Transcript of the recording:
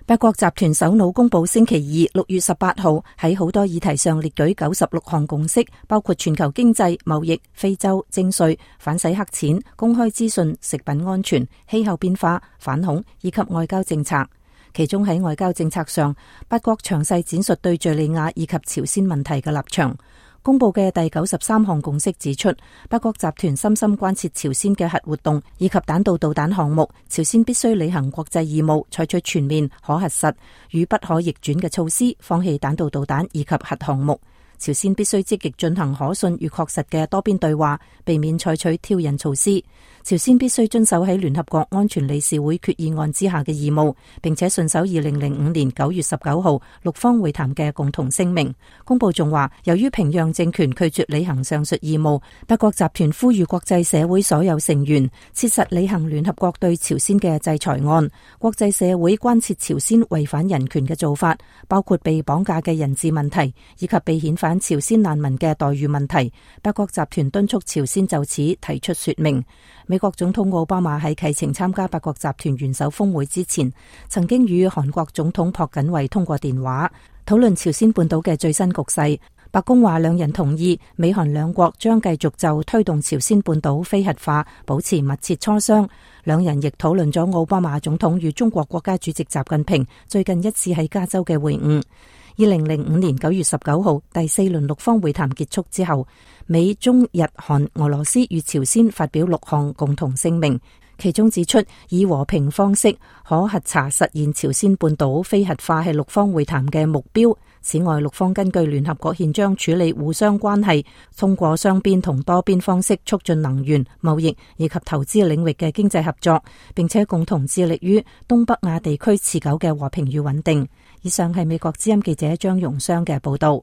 八國集團首腦公佈星期二6月18號喺好多議題上列舉96項共識，包括全球經濟、貿易、非洲、徵稅、反洗黑錢、公開資訊、食品安全、氣候變化、反恐以及外交政策。其中喺外交政策上，八國詳細展述對敘利亞以及朝鮮問題嘅立場。公佈嘅第93項共識指出，八國集團深深關切朝鮮嘅核活動以及彈道導彈項目，朝鮮必須履行國際義務，採取全面、可核實與不可逆轉嘅措施，放棄彈道導彈以及核項目。朝鮮必須積極進行可信與確實嘅多邊對話，避免採取挑釁措施。朝鮮必須遵守喺聯合國安全理事會決議案之下嘅義務，並且信守2005年9月19號六方會談嘅共同聲明。公報仲話，由於平壤政權拒絕履行上述義務，八國集團呼籲國際社會所有成員切實履行聯合國對朝鮮嘅制裁案。國際社會關切朝鮮違反人權嘅做法，包括被綁架嘅人質問題，以及被遣返朝鮮難民嘅待遇問題。八國集團敦促朝鮮就此提出說明。美國總統奧巴馬喺啟程參加八國集團元首峰會之前，曾經與韓國總統朴槿惠通過電話，討論朝鮮半島嘅最新局勢。白宮話兩人同意美韓兩國將繼續就推動朝鮮半島非核化保持密切磋商。兩人亦討論咗奧巴馬總統與中國國家主席習近平最近一次喺加州嘅會晤。2005年9月19號第4輪六方會談結束之後，美、中、日、韓、俄羅斯與朝鮮發表6項共同聲明，其中指出以和平方式可核查實現朝鮮半島非核化係六方會談嘅目標。此外，六方根據聯合國憲章處理互相關係，通過雙邊同多邊方式促進能源、貿易以及投資領域嘅經濟合作，並且共同致力於東北亞地區持久嘅和平與穩定。以上係美國之音記者張容湘嘅報道。